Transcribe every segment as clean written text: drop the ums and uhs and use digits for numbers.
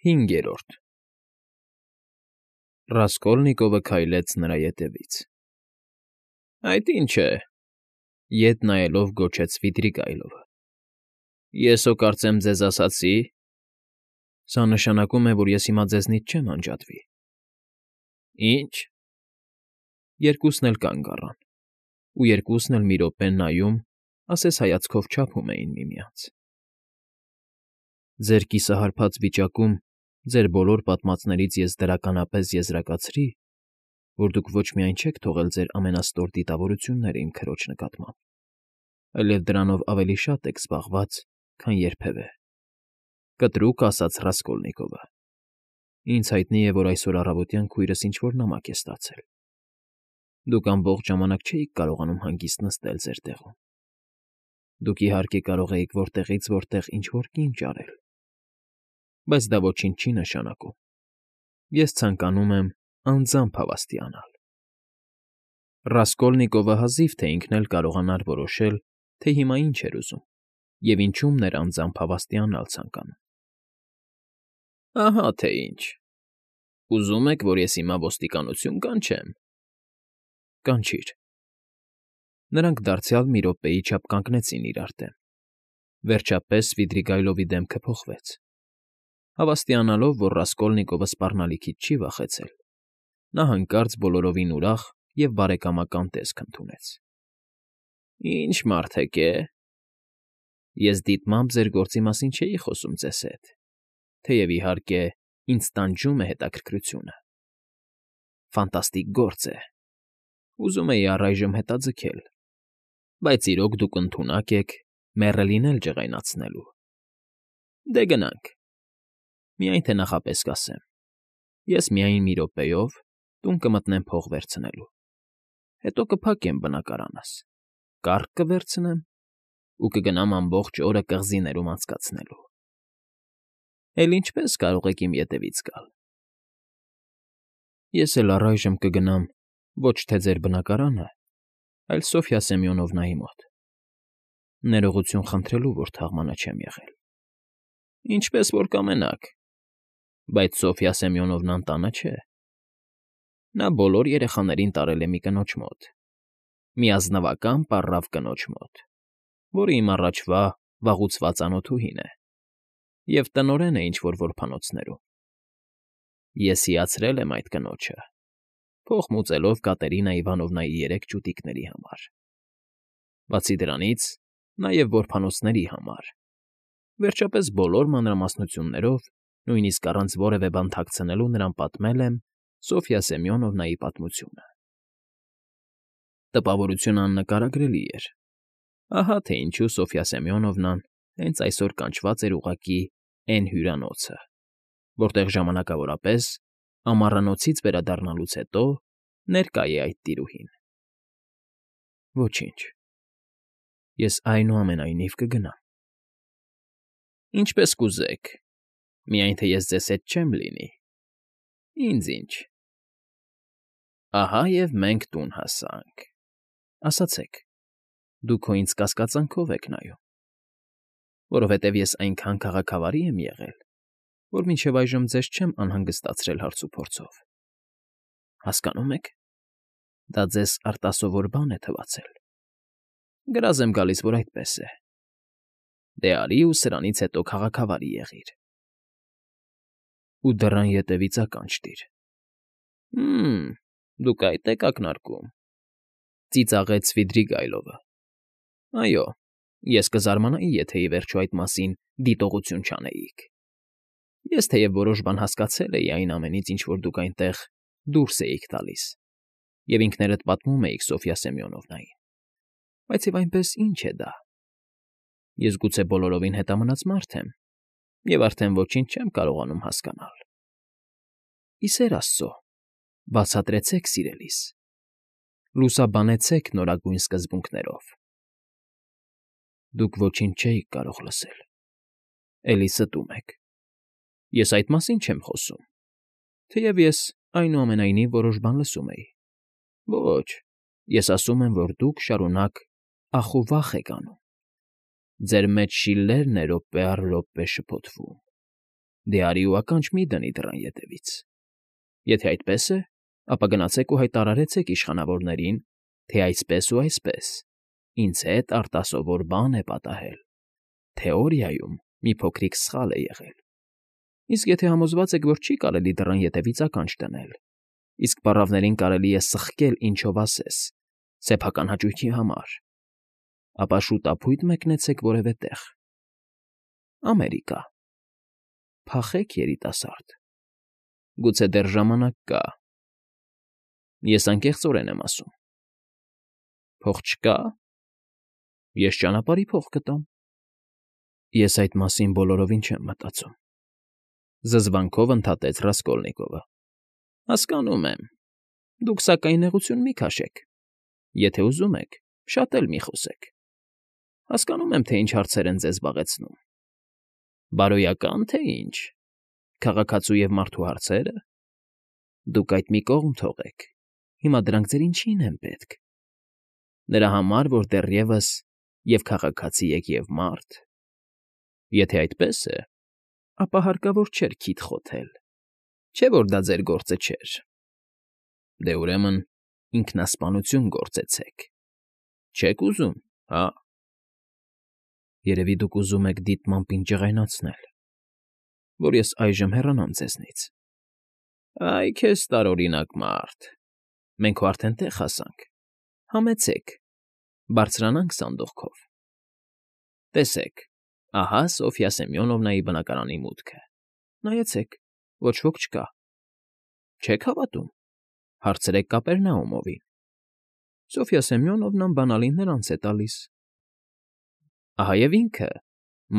5 Ռասկոլնիկովը քայլեց նրա ետևից։ ֊ Այդ ի՞նչ է,֊ ետ նայելով գոչեց Սվիդրիգայլովը։ ֊ Ես հո կարծեմ ձեզ ասացի… Սա նշանակում է, որ ես հիմա ձեզնից չեմ անջատվի։ ֊ Ի՞նչ… Երկուսն էլ կանգ առան, ու երկուսն էլ մի րոպե նայում, ասես հայացքով չափում էին միմյանց։ ֊ Ձեր կիսահարբած վիճակում ձեր բոլոր պատմածներից ես դրականապես եզրակացրի, որ դուք ոչ միայն չեք թողել ձեր ամենաստոր դիտավորությունները իմ քրոջ նկատմամբ, այլև դրանով ավելի շատ եք զբաղված, քան երբևէ,֊ կտրուկ ասաց Ռասկոլնիկովը։ Ինձ հայտնի է, որ այսօր առավոտյան քույրս ինչ֊որ նամակ է ստացել։ Դուք ամբողջ ժամանակ չէիք կարողանում հանգիստ նստել ձեր տեղում։ Դուք, իհարկե, կարող էիք որտեղից որտեղ ինչ֊որ կին ճարել, բայց դա ոչինչ չի նշանակում։ Ես ցանկանում եմ անձամբ հավաստիանալ։ Ռասկոլնիկովը հազիվ թե ինքն էլ կարողանար որոշել, թե հիմա ինչ էր ուզում և ինչում էր անձամբ հավաստիանալ ցանկանում։ ֊ Ահա թե ինչ… Ուզում եք, որ ես հիմա ոստիկանություն կանչեմ… Կանչիր… Նրանք դարձյալ մի րոպեի չափ կանգնեցին իրար դեմ։ Վերջապես Սվիդրիգայլովի դեմքը փոխվեց։ Հավաստիանալով, որ Ռասկոլնիկովը սպառնալիքից չի վախեցել, նա հանկարծ բոլորովին ուրախ և բարեկամական տեսք ընդունեց։ ֊ Ի՞նչ մարդ եք, է… Ես դիտմամբ ձեր գործի մասին չէի խոսում ձեզ հետ, թեև, իհարկե, ինձ տանջում է հետաքրքրությունը։ Ֆանտաստիկ գործ է… Ուզում էի առայժմ հետաձգել, բայց իրոք դուք ընդունակ եք մեռելին էլ ջղայնացնելու… Դե գնանք… Միայն թե նախապես կասեմ. ես միայն մի րոպեով տուն կմտնեմ փող վերցնելու, հետո կփակեմ բնակարանս, կառք կվերցնեմ ու կգնամ ամբողջ օրը կղզիներում անցկացնելու… Էլ ինչպե՞ս կարող եք իմ ետևից գալ։ Ես էլ առայժմ կգնամ ոչ թե ձեր բնակարանը, այլ Սոֆյա Սեմյոնովնայի մոտ… Ներողություն խնդրելու, որ թաղմանա չեմ եղել։ Ինչպես որ կամենաք, բայց Սոֆյա Սեմյոնովնան տանը չէ… Նա բոլոր երեխաներին տարել է մի կնոջ մոտ, մի ազնվական պառավ կնոջ մոտ, որը իմ առաջվա վաղուցված անօդուհին է և տնօրեն է ինչ֊որ որբանոցներում։ Ես հիացրել եմ այդ կնոջը, փող մուծելով Կատերինա Իվանովնայի 3 ճուտիկների համար, բացի դրանից, նաև որբանոցների համար, վերջապես բոլոր մանրամասնություններով, նույնիսկ առանց որևէ բան թաքցնելու նրան պատմել եմ Սոֆյա Սեմյոնովնայի պատմությունը։ Տպավորությունն աննկարագրելի էր։ Ահա թե ինչու Սոֆյա Սեմյոնովնան հենց այսօր կանչված էր ուղղակի էն հյուրանոցը, որտեղ ժամանակավորապես, ամառանոցից վերադառնալուց հետո, ներկա է այդ տիրուհին։ Ոչինչ, ես այնուամենայնիվ կգնամ։ Ինչպես կուզեք, միայն թե ես ձեզ հետ չեմ լինի… Ինձ ինչ… Ահա և մենք տուն հասանք… Ասացեք, դուք հո ինձ կասկածանքով եք նայում… Որովհետև ես այնքան քաղաքավարի եմ եղել, որ մինչև այժմ ձեզ չեմ անհանգստացրել հարցուփորձով… Հասկանո՞ւմ եք, դա ձեզ արտասովոր բան է թվացել… Գրազ եմ գալիս, որ այդպես է… Դե արի ու սրանից հետո քաղաքավարի եղիր… Ու դռան ետևից ականջ տիր… Դուք այդ եք ակնարկում,֊ ծիծաղեց Սվիդրիգայլովը։ Այո, ես կզարմանայի, եթե ի վերջո այդ մասին դիտողություն չանեիք… Ես թեև որոշ բան հասկացել էի այն ամենից, ինչ որ դուք այնտեղ դուրս էիք տալիս, և ինքներդ պատմում էիք Սոֆյա Սեմյոնովնային, բայց և այնպես ի՞նչ է դա… Ես գուցե բոլորովին հետամնաց մարդ եմ և արդեն ոչինչ չեմ կարողանում հասկանալ… Ի սեր աստծո, բացատրեցեք, սիրելիս, լուսաբանեցեք նորագույն սկզբունքներով… Դուք ոչինչ չէիք կարող լսել, էլի ստում եք… Ես այդ մասին չեմ խոսում, թեև ես, այնուամենայնիվ, որոշ բան լսում էի… Ոչ, ես ասում եմ, որ դուք շարունակ ախ ու վախ եք անում… Ձեր մեջ շիլլերն է րոպե առ րոպե շփոթվում… Դե արի ու ականջ մի դնի դռան ետևից։ Եթե այդպես է, ապա գնացեք ու հայտարարեցեք իշխանավորներին, թե այսպես ու այսպես, ինձ հետ արտասովոր բան է պատահել, թեորիայում մի փոքրիկ սխալ է եղել։ Իսկ եթե համոզված եք, որ չի կարելի դռան ետևից ականջ դնել, իսկ պառավներին կարելի է սխկել ինչով ասես, սեփական հաճույքի համար, ապա շուտապույտ մեկնեցեք որևէ տեղ։ Ամերիկա։ Փախեք, երիտասարդ։ Գուցե դեռ ժամանակ կա։ Ես անկեղծորեն եմ ասում։ Փող չկա։ Ես ճանապարհի փող կտամ։ Ես այդ մասին բոլորովին չեմ մտածում։ Զզվանքով ընդհատեց Ռասկոլնիկովը։ Հասկանում եմ։ Դուք սակայն նեղություն մի քաշեք։ Եթե ուզում եք, շատ էլ մի խոսեք։ Հասկանում եմ, թե ինչ հարցեր են ձեզ զբաղեցնում։ Բարոյական, թե ինչ։ Քաղաքացու և մարդու հարցերը։ Դուք այդ մի կողմ թողեք։ Հիմա դրանք ձեր ինչին են պետք։ Նրա համար, որ դեռևս և քաղաքացի եք և մարդ։ Եթե այդպես է, ապա հարկավոր չէր քիթ խոթել, չէ՞ որ դա ձեր գործը չէր։ Դե ուրեմն ինքնասպանություն գործեցեք։ Չեք ուզում, հա։ Երևի դուք ուզում եք դիտմամբ ինձ ջղայնացնել, որ ես այժմ հեռանամ ձեզնից։ Այ քեզ տարօրինակ մարդ։ Մենք քո արդեն տեղ հասանք։ Համեցեք, բարձրանանք սանդուղքով։ Տեսեք, ահա Սոֆյա Սեմյոնովնայի բնակարանի մուտքը։ Նայեցեք, ոչ ոք չկա։ Չեք հավատում։ Հարցրեք Կապերնաումովին։ Սոֆյա Սեմյոնովնան բանալին նրանց է տալիս։ Ահա և ինքը,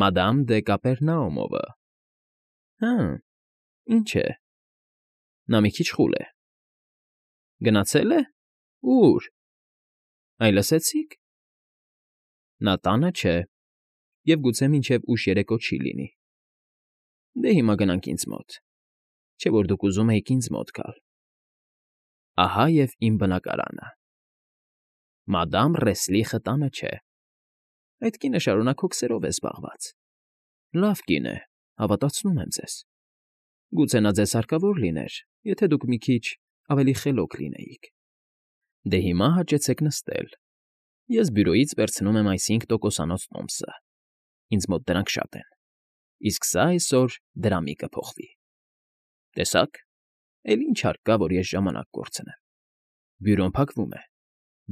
մադամ դե Կապերնաումովը։ Հը, ինչ է։ Նա մի քիչ խուլ է։ Գնացել է։ Ո՞ւր։ Այ լսեցի՞ք։ Նա տանը չէ, և գուցե մինչև ուշ երեկո չի լինի։ Դե հիմա գնանք ինձ մոտ, չէ՞ որ դուք ուզում էիք ինձ մոտ գալ։ Ահա և իմ բնակարանը։ Մադամ Ռեսլիխը տանը չէ։ Այդ կինը շարունակ հոգսերով է զբաղված։ Լավ կին է, հավատացնում եմ ձեզ։ Գուցե նա ձեզ հարկավոր լիներ, եթե դուք մի քիչ ավելի խելոք լինեիք։ Դե հիմա հաճեցեք նստել։ Ես բյուրոյից վերցնում եմ այս 5%-անոց տոմսը։ Ինձ մոտ դրանք շատ են։ Իսկ սա այսօր դրամի կփոխվի։ Տեսաք, էլ ինչ հարկ կա, որ ես ժամանակ կորցնեմ։ Բյուրոն փակվում է,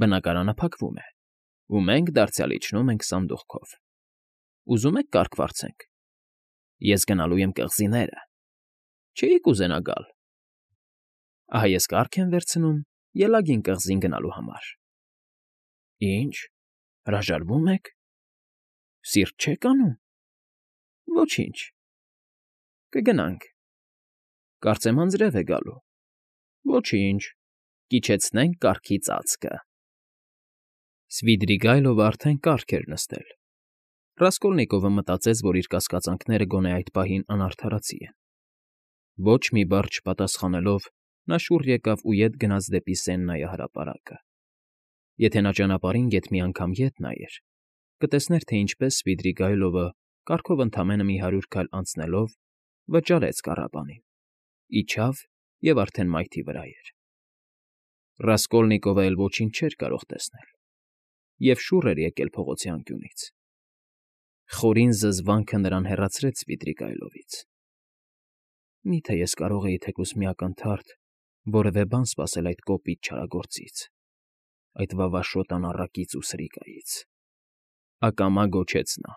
բնակարանը փակվում է, ու մենք դարձյալ իջնում ենք սանդուղքով։ Ուզում եք կարգ վարձենք։ Ես գնալու եմ կղզիները։ Չէի՞ք ուզենա գալ։ Ահա ես կարգ եմ վերցնում Ելագին կղզին գնալու համար։ Ինչ, հրաժարվում եք։ Սիրտ չեք անում։ Ոչինչ։ Կգնանք։ Կարծեմ անձրև է գալու։ Ոչինչ, կիջեցնենք կարգի ծածկը։ Սվիդրիգայլովը արդեն կարգ էր նստել։ Ռասկոլնիկովը մտածեց, որ իր կասկածանքները գոնե այդ պահին անարդարացի են։ Ոչ մի բառ չպատասխանելով, նա շուռ եկավ ու ետ գնաց դեպի Սեննայի հրապարակը։ Եթե նա ճանապարհին գեթ մի անգամ ետ նայեր, կտեսներ, թե ինչպես Սվիդրիգայլովը կարգով ընդամենը մի 100 քայլ անցնելով վճարեց կառաբանին, իջավ և արդեն մայթի վրա էր։ Ռասկոլնիկովը էլ ոչինչ չէր կարող տեսնել և շուռ էր եկել փողոցի անկյունից։ Խորին զզվանքը նրան հեռացրեց Սվիդրիգայլովից։ Մի՞թե ես կարող էի թեկուզ մի ակնթարթ որևէ բան սպասել այդ կոպիտ չարագործից, այդ վավաշոտ անառակից ու սրիկայից։ Ակամա գոչեց նա։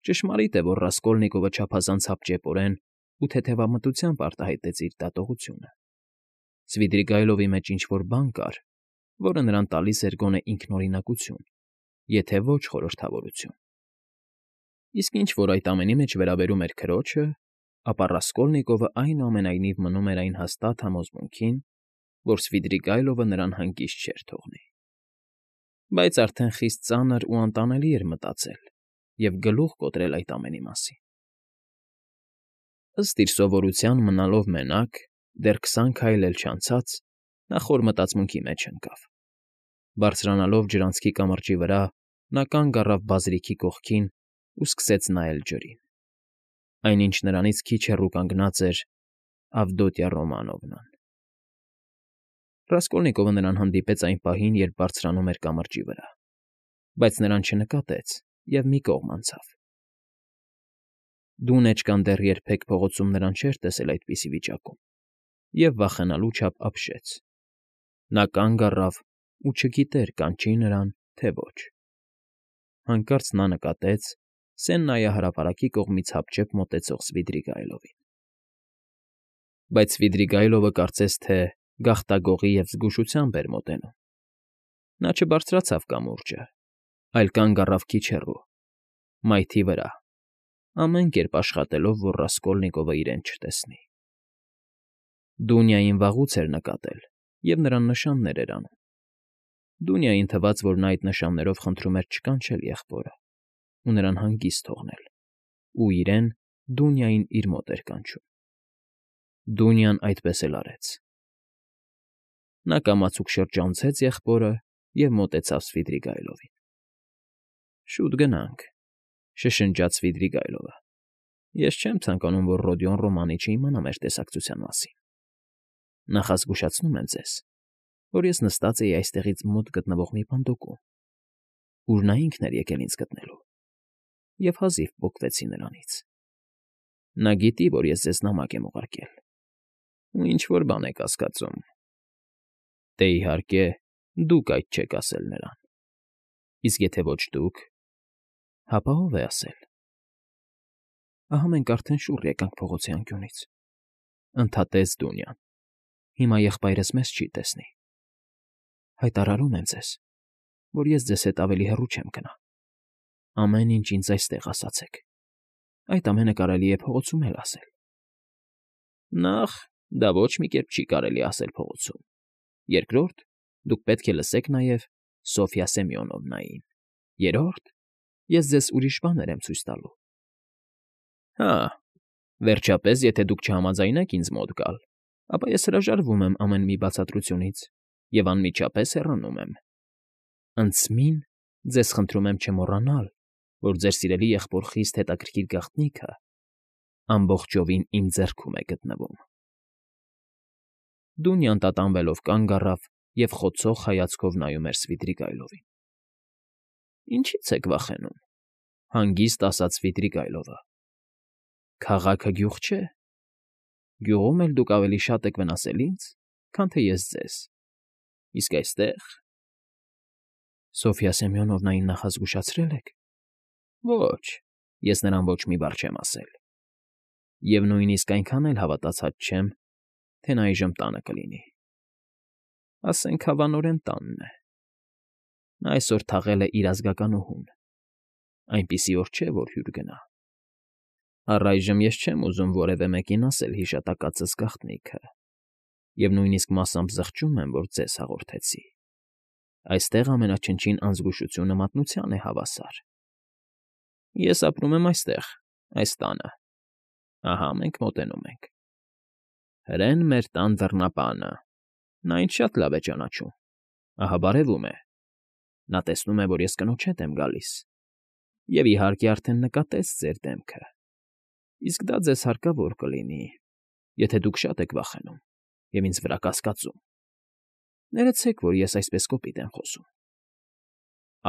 Ճշմարիտ է, որ Ռասկոլնիկովը չափազանց հապճեպորեն ու թեթևամտությամբ արտահայտեց իր դատողությունը։ Սվիդրիգայլովի մեջ ինչ֊որ բան կար, որը նրան տալիս էր գոնե ինքնօրինակություն, եթե ոչ խորհրդավորություն։ Իսկ ինչ որ այդ ամենի մեջ վերաբերում էր քրոջը, ապա Ռասկոլնիկովը այնուամենայնիվ մնում էր այն հաստատ համոզմունքին, որ Սվիդրիգայլովը նրան հանգիստ չէր թողնի։ Բայց արդեն խիստ ծանր ու անտանելի էր մտածել և գլուխ կոտրել այդ ամենի մասին։ Ըստ իր սովորության մնալով մենակ, դեռ 20 քայլ էլ չանցած, նա խոր մտածմունքի մեջ ընկավ։ Բարձրանալով ջրանցքի կամրջի վրա, նա կանգ առավ բազրիքի կողքին ու սկսեց նայել ջրին։ այնինչ նրանից քիչ հեռու կանգնած էր Ավդոտյա Ռոմանովնան։ Ռասկոլնիկովը նրան հանդիպեց այն պահին, երբ բարձրանում էր կամրջի վրա, բայց նրան չնկատեց և մի կողմ անցավ։ Դունեջկան դեռ երբեք փողոցում նրան չէր տեսել այդպիսի վիճակում և վախենալու չափ ապշեց։ Նա կանգ առավ ու չգիտեր կանչի նրան, թե ոչ։ Հանկարծ նա նկատեց Սեննայի հրապարակի կողմից հապճեպ մոտեցող Սվիդրիգայլովին։ Բայց Սվիդրիգայլովը կարծես թե գաղտագողի և զգուշությամբ էր մոտենում։ Նա չբարձրացավ կամուրջը, այլ կանգ առավ քիչ հեռու, մայթի վրա, ամեն կերպ աշխատելով, որ Ռասկոլնիկովը իրեն չտեսնի։ Դունյային վաղուց էր նկատել և նրան նշաններ էր անում։ Դունյային թվաց, որ նա այդ նշաններով խնդրում էր չկանչել եղբորը ու նրան հանգիստ թողնել, ու իրեն Դունյային իր մոտ էր կանչում։ Դունյան այդպես էլ արեց։ Նա կամացուկ շրջանցեց եղբորը և մոտեցավ Սվիդրիգայլովին։ «Շուտ գնանք», շշնջաց Սվիդրիգայլովը։ «Ես չեմ ցանկանում, որ Ռոդիոն Ռոմանիչը իմանա մեր տեսակցության մասին։ Նախազգուշացնում եմ ձեզ, որ ես նստած էի այստեղից մոտ գտնվող մի պնդոկում, ուր նա ինքն էր եկել ինձ գտնելու, և հազիվ պոկվեցի նրանից։ Նա գիտի, որ ես ձեզ նամակ եմ ուղարկել, ու ինչ֊որ բան եք կասկածում։ Դե, իհարկե, դուք այդ չեք ասել նրան։ Իսկ եթե ոչ դուք, հապա ո՞վ է ասել։ Ահա մենք արդեն շուռ եկանք փողոցի անկյունից, ընդհատեց Դունյան։ Հիմա եղբայրս մեզ չի տեսնի։ Հայտարարում եմ ձեզ, որ ես ձեզ հետ ավելի հեռու չեմ գնա։ Ամեն ինչ ինձ այստեղ ասացեք։ Այդ ամենը կարելի է փողոցում էլ ասել։ Նախ, դա ոչ մի կերպ չի կարելի ասել փողոցում։ Երկրորդ, դուք պետք է լսեք նաև Սոֆյա Սեմյոնովնային։ Երրորդ, ես ձեզ ուրիշ բաներ եմ ցույց տալու։ Հա, վերջապես, եթե դուք չհամաձայնեք ինձ մոտ գալ, ապա ես հրաժարվում եմ ամեն մի բացատրությունից և անմիջապես հեռանում եմ։ Ընդսմին ձեզ խնդրում եմ չմոռանալ, որ ձեր սիրելի եղբոր խիստ հետաքրքիր գաղտնիքը ամբողջովին իմ ձեռքում է գտնվում։ Դունյան տատանվելով կանգ առավ և խոցող հայացքով նայում էր Սվիդրիգայլովին։ Ինչի՞ց եք վախենում,֊ հանգիստ ասաց Սվիդրիգայլովը։ Քաղաքը գյուղ չէ։ Գյուղում էլ դուք ավելի շատ եք վնասել ինձ, քան թե ես ձեզ։ Իսկ այստեղ… Սոֆյա Սեմյոնովնային նախազգուշացրե՞լ եք։ Ոչ, ես նրան ոչ մի բառ չեմ ասել։ Եվ նույնիսկ այնքան էլ հավատացած չեմ, թե նա այժմ տանը կլինի։ Ասենք հավանորեն տանն է։ Նա այսօր թաղել է իր ազգականուհուն։ Այնպիսի օր չէ, որ հյուր գնա։ Առայժմ ես չեմ ուզում որևէ մեկին ասել հիշատակածս գաղտնիքը, և նույնիսկ մասամբ զղջում եմ, որ ձեզ հաղորդեցի։ Այստեղ ամենաչնչին անզգուշությունը մատնության է հավասար։ Ես ապրում եմ այստեղ, այս տանը։ Ահա մենք մոտենում ենք։ Հրեն մեր տան դռնապանը։ Նա ինձ շատ լավ է ճանաչում։ Ահա բարևում է։ Նա տեսնում է, որ ես կնոջ հետ եմ գալիս, և, իհարկե, արդեն նկատեց ձեր դեմքը։ Իսկ դա ձեզ հարկավոր կլինի, եթե դուք շատ եք վախենում և ինձ վրա կասկածում։ Ներեցեք, որ ես այսպես կոպիտ եմ խոսում։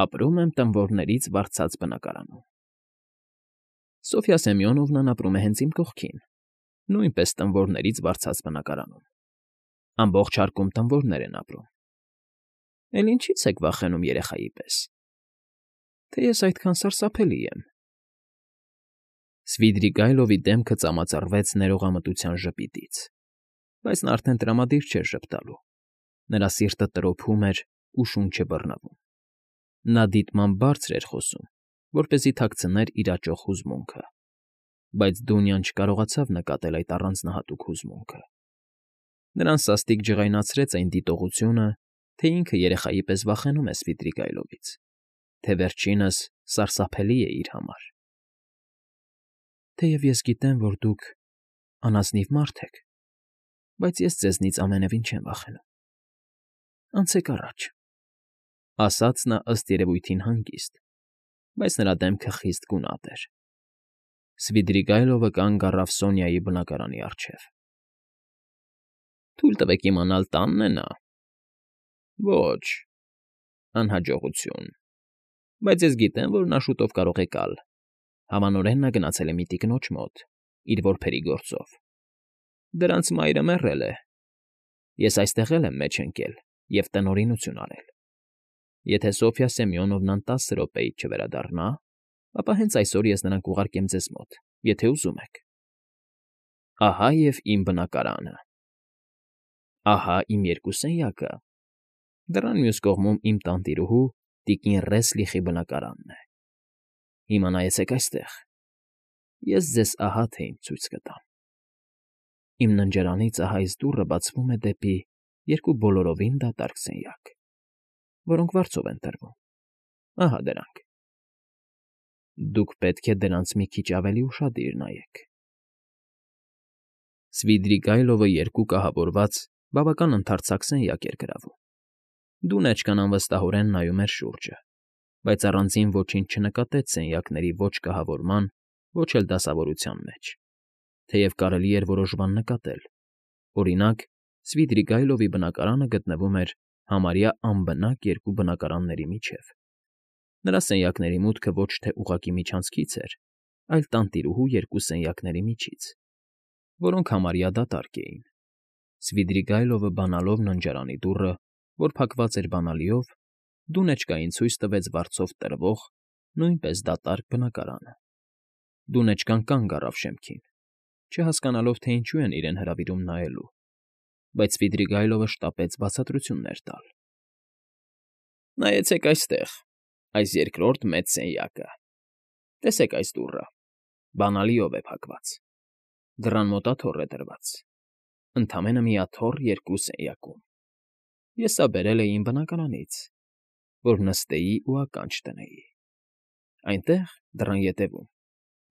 Ապրում եմ տնվորներից վարձած բնակարանում։ Սոֆյա Սեմյոնովնան ապրում է հենց իմ կողքին, նույնպես տնվորներից վարձած բնակարանում։ Ամբողջ հարկում տնվորներ են ապրում։ Էլ ինչի՞ց եք վախենում երեխայի պես։ Թե ես այդքան սարսափելի եմ։ Սվիդրիգայլովի դեմքը ծամածռվեց ներողամտության ժպիտից, բայց նա արդեն տրամադիր չէր ժպտալու։ Նրա սիրտը տրոփում էր ու շունչը բռնվում։ Նա դիտմամբ բարձր էր խոսում, որպեսզի թաքցներ իր աճող հուզմունքը, բայց Դունյան չկարողացավ նկատել այդ առանձնահատուկ հուզմունքը։ Նրան սաստիկ ջղայնացրեց այն դիտողությունը, թե ինքը երեխայի պես վախենում է Սվիդրիգայլովից, թե վերջինս սարսափելի է իր համար։ Թեև ես գիտեմ, որ դուք անազնիվ մարդ եք, բայց ես ձեզնից ամենևին չեմ վախենում։ Անցեք առաջ,֊ ասաց նա ըստ երևույթին հանգիստ, բայց նրա դեմքը խիստ գունատ էր։ Սվիդրիգայլովը կանգ առավ Սոնյայի բնակարանի առջև։ ֊ Թույլ տվեք իմանալ, տանն է նա։ ֊ Ոչ, անհաջողություն, բայց ես գիտեմ, որ նա շուտով կարող է գալ։ Հավանորեն նա գնացել է մի տիկնոջ մոտ, իր որբերի գործով։ Դրանց մայրը մեռել է։ Ես այստեղ էլ եմ մեջ ընկել և տնօրինություն արել։ Եթե Սոֆյա Սեմյոնովնան 10 րոպեից չվերադառնա, ապա հենց այսօր ես նրան կուղարկեմ ձեզ մոտ, եթե ուզում եք։ Ահա և իմ բնակարանը։ Ահա իմ երկու սենյակը։ Դռան մյուս կողմում իմ տանտիրուհու տիկին Ռեսլիխի բնակարանն է։ Հիմա նայեցեք այստեղ։ Ես ձեզ ահա թե ինչ ցույց կտամ։ Իմ ննջարանից ահա այս դուռը բացվում է դեպի երկու բոլորովին դատարկ սենյակ, որոնք վարձով են տրվում։ Ահա դրանք։ Դուք պետք է դրանց մի քիչ ավելի ուշադիր նայեք։ Սվիդրիգայլովը երկու կահավորված, բավական ընդարձակ սենյակ էր գրավում։ Դունեջկան անվստահորեն նայում էր շուրջը, բայց առանձին ոչինչ չնկատեց սենյակների ոչ կահավորման, ոչ էլ դասավորության մեջ, թեև կարելի էր որոշ բան նկատել։ Օրինակ, Սվիդրիգայլովի բնակարանը գտնվում էր համարյա անբնակ երկու բնակարանների միջև։ Նրա սենյակների մուտքը ոչ թե ուղղակի միջանցքից էր, այլ տանտիրուհու երկու սենյակների միջից, որոնք համարյա դատարկ էին։ Սվիդրիգայլովը բանալով ննջարանի դուռը, որ փակված էր բանալիով, Դունեջկային ցույց տվեց վարձով տրվող, նույնպես դատարկ բնակարանը։ Դունեջկան կանգ առավ շեմքին, չհասկանալով, թե ինչու են իրեն հրավիրում նայելու, բայց Սվիդրիգայլովը շտապեց բացատրություններ տալ։ Նայեցեք այստեղ, այս երկրորդ մեծ սենյակը։ Տեսեք այս դուռը, բանալիով է փակված։ Դռան մոտ աթոռ է դրված։ Ընդամենը մի աթոռ երկու սենյակում։ Ես սա բերել էի իմ բնակարանից, որ նստեի ու ականջ դնեի։ Այնտեղ, դռան ետևում,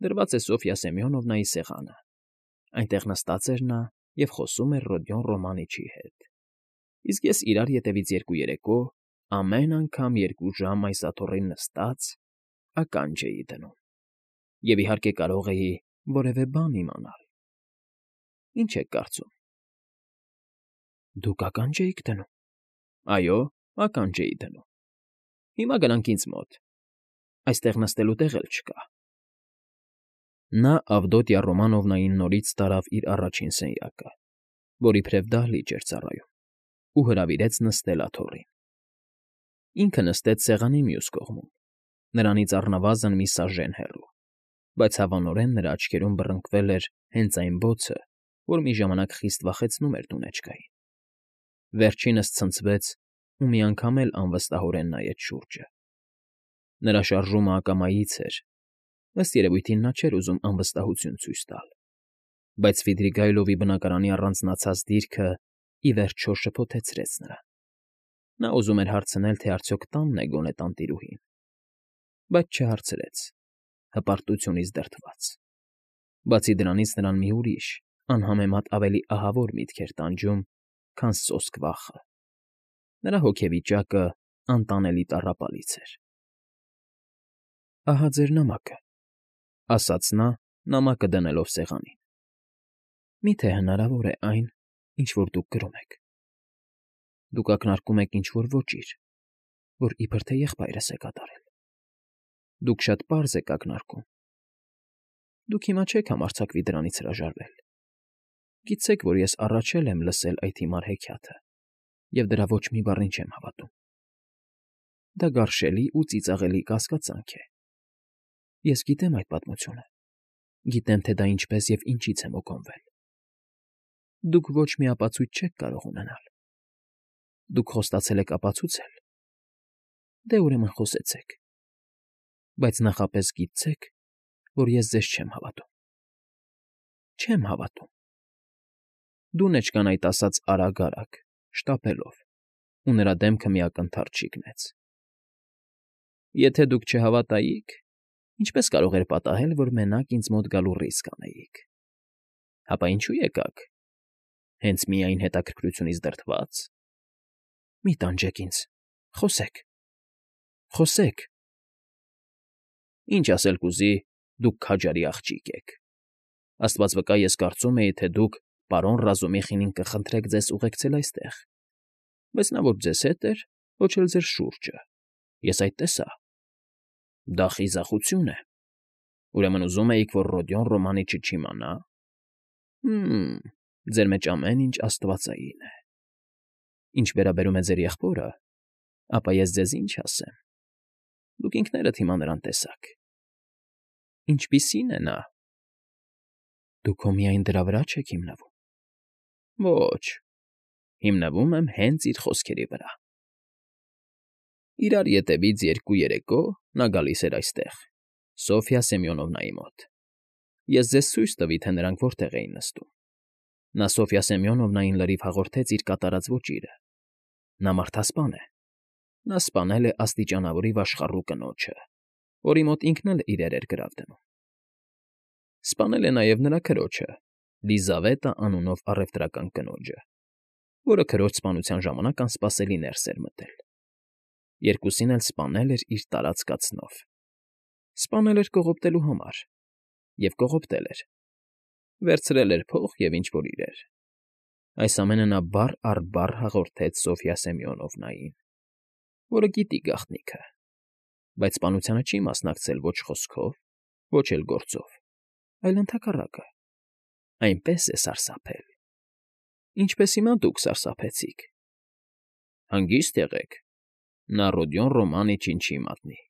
դրված է Սոֆյա Սեմյոնովնայի սեղանը։ Այնտեղ նստած էր նա և խոսում էր Ռոդիոն Ռոմանիչի հետ։ Իսկ ես իրար ետևից 2 երեկո ամեն անգամ 2 ժամ այս աթոռին նստած ականջ էի դնում։ Եվ իհարկե կարող էի որևէ բան իմանալ։ Ինչ եք կարծում։ Դուք ականջ էիք դնում։ Այո, ականջ էի դնում։ Հիմա գնանք ինձ մոտ։ Այստեղ նստելու տեղ էլ չկա։ Նա Ավդոտյա Ռոմանովնային նորից տարավ իր առաջին սենյակը, որ իբրև դահլիճ էր ծառայում, ու հրավիրեց նստել աթոռին։ Ինքը նստեց սեղանի մյուս կողմում, նրանից առնվազն մի սաժեն հեռու, բայց հավանորեն նրա աչքերում բռնկվել էր հենց այն բոցը, որ մի ժամանակ խիստ վախեցնում էր Դունեջկային։ Վերջինս ցնցվեց ու մի անգամ էլ անվստահորեն նայեց շուրջը։ Նրա շարժումը ակամայից էր, ըստ երևույթին նա չէր ուզում անվստահություն ցույց տալ, բայց Սվիդրիգայլովի բնակարանի առանձնացած դիրքը ի վերջո շփոթեցրեց նրան։ Նա ուզում էր հարցնել, թե արդյոք տանն է գոնե տանտիրուհին, բայց չհարցրեց, հպարտությունից դրդված։ Բացի դրանից նրան մի ուրիշ, անհամեմատ ավելի ահավոր միտք էր տանջում, քան սոսկ վախը։ Նրա հոգեվիճակը անտանելի տառապալից էր։ Ահա ձեր նամակը, ասաց նա, նամակը դնելով սեղանին։ Միթե հնարավոր է այն, ինչ որ դուք գրում եք։ Դուք ակնարկում եք ինչ-որ ոճիր, որ իբր թե եղբայրս է կատարել։ Դուք շատ պարզ եք ակնարկում։ Դուք հիմա չեք համարձակվի դրանից հրաժարվել։ Գիտեք, որ ես առաջ եմ լսել այդ հիմար հեքիաթը, և դրա ոչ մի բառին չեմ հավատում։ Դա գարշելի ու ծիծաղելի կասկածանք է։ Ես գիտեմ այդ պատմությունը։ Գիտեմ, թե դա ինչպես և ինչից է մոկոնվել։ Դուք ոչ մի ապացույց չեք կարող ունենալ։ Դուք խոստացել եք ապացուցել։ Դե ուրեմն խոսեցեք։ Բայց նախապես գիտեք, որ ես ձեզ չեմ հավատում։ Չեմ հավատում։ Դունեջկան այդ ասաց արագ, շտապելով, ու նրա դեմքը մի ակնթարթ շիկնեց։ Եթե դուք չհավատայիք, ինչպես կարող էր պատահել, որ մենակ ինձ մոտ գալու ռիսկ անեիք։ Հապա ինչու եկաք։ Հենց միայն հետաքրքրությունից դրդված։ Մի տանջեք ինձ, խոսեք։ Խոսեք։ Ինչ ասել կուզի, Դուք քաջարի աղջիկ եք։ Աստված վկա, ես կարծում էի, թե դուք պարոն Ռազումիխինին կխնդրեք ձեզ ուղեկցել այստեղ, բայց նա ոչ ձեզ հետ էր, ոչ էլ ձեր շուրջը, ես այդ տեսա։ Դա խիզախություն է։ Ուրեմն ուզում էիք, որ Ռոդիոն Ռոմանիչը չիմանա։ Ձեր մեջ ամեն ինչ աստվածային է։ Ինչ վերաբերում է ձեր եղբորը, ապա ես ձեզ ինչ ասեմ։ Դուք ինքներդ հիմա նրան տեսաք։ Ինչպիսին է նա։ Դուք հո միայն դրա վրա չեք հիմնվում։ Ոչ, հիմնվում եմ հենց իր խոսքերի վրա։ Իրար ետևից 2 երեկո նա գալիս էր այստեղ, Սոֆյա Սեմյոնովնայի մոտ։ Ես ձեզ ցույց տվի, թե նրանք որտեղ էին նստում։ Նա Սոֆյա Սեմյոնովնային լրիվ հաղորդեց իր կատարած ոճիրը։ Նա մարդասպան է։ Նա սպանել է աստիճանավորի վաշխառու կնոջը, որի մոտ ինքն էլ իրեր էր գրավ դնում։ Սպանել է նաև նրա քրոջը, Լիզավետա անունով առևտրական կնոջը, որը քրոջ սպանության ժամանակ անսպասելի ներս էր մտել։ Երկուսին էլ սպանել էր իր տարածկացնով։ Սպանել էր կողոպտելու համար, և կողոպտել էր։ Վերցրել էր փող և ինչ֊որ իրեր։ Այս ամենը նա բառ առ բառ հաղորդեց Սոֆյա Սեմյոնովնային, որը գիտի գաղտնիքը, բայց սպանությանը չի մասնակցել ոչ խոսքով, ոչ էլ գործով, այլ ընդհակառակը, այնպես է սարսափել, ինչպես հիմա դուք սարսափեցիք։ Հանգիստ եղեք, նա Ռոդիոն Ռոմանիչին չի մատնի։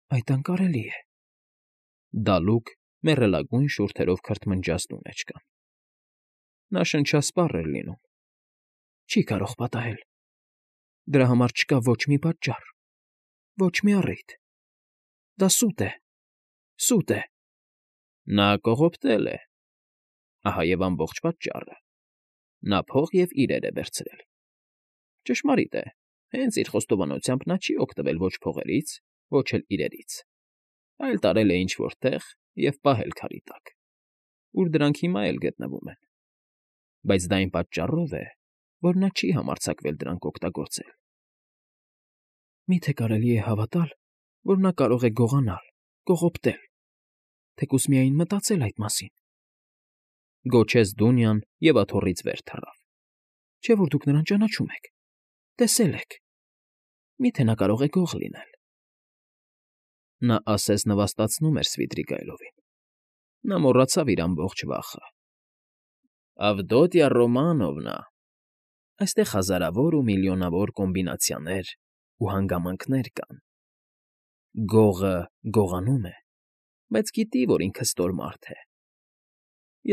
Այդ անկարելի է։ Դալուկ մեռելագույն շուրթերով քրթմնջաց դու մեջ կան։ Նա շնչասպառ էր լինում։ Չի կարող պատահել։ Դրա համար չկա ոչ մի պատճառ, ոչ մի առիթ։ Դա սուտ է, սուտ է։ Նա կողոպտել է։ Ահա և ամբողջ պատճառը։ Նա փող և իրեր է վերցրել։ Ճշմարիտ է, հենց իր խոստովանությամբ նա չի օգտվել ոչ փողերից, ոչ էլ իրերից, այլ տարել է ինչ֊որ տեղ և պահել քարի տակ, ուր դրանք հիմա էլ գտնվում են։ Բայց դա այն պատճառով է, որ նա չի համարձակվել դրանք օգտագործել։ Մի՞թե կարելի է հավատալ, որ նա կարող է գողանալ, կողոպտել, թեկուզ միայն մտածել այդ մասին։ Գոչեց Դունյան և աթոռից վեր թռավ։ Չէ՞ որ դուք նրան ճանաչում եք, տեսել եք։ Մի՞թե նա կարող է գող լինել։ Նա ասես նվաստացնում էր Սվիդրիգայլովին։ Նա մոռացավ իր ամբողջ վախը։ Ավդոտյա Ռոմանովնա, այստեղ հազարավոր ու միլիոնավոր կոմբինացիաներ ու հանգամանքներ կան։ Գողը գողանում է, բայց գիտի, որ ինքը ստոր մարդ է։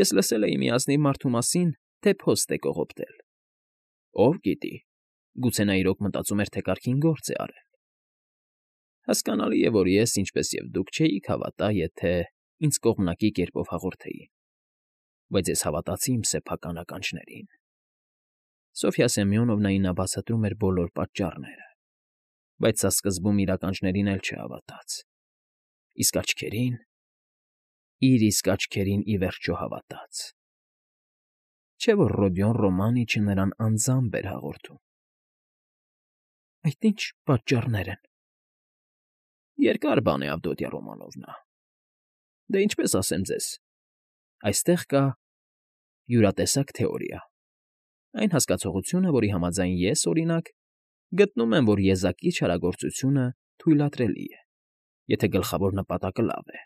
Ես լսել էի մի ազնիվ մարդու մասին, թե փոստ է կողոպտել։ Ով գիտի, գուցե նա իրոք մտածում էր, թե կարգին գործ է արել։ Հասկանալի է, որ ես, ինչպես և դուք, չէիք հավատա, եթե ինձ կողմնակի կերպով հաղորդեին, բայց ես հավատացի իմ սեփական ականջներին։ Սոֆյա Սեմյոնովնային նա բացատրում էր բոլոր պատճառները, բայց սա սկզբում իր ականջներին էլ չհավատաց։ Իսկ աչքերին… իր իսկ աչքերին ի վերջո հավատաց։ Չէ՞ որ Ռոդիոն Ռոմանիչը նրան անձամբ էր հաղորդում։ Այդ ի՞նչ պատճառներ են։ Երկար բան է, Ավդոտյա Ռոմանովնա։ Դե ինչպես ասեմ ձեզ, այստեղ կա յուրատեսակ թեորիա, այն հասկացողությունը, որի համաձայն ես, օրինակ, գտնում եմ, որ եզակի չարագործությունը թույլատրելի է, եթե գլխավոր նպատակը լավ է։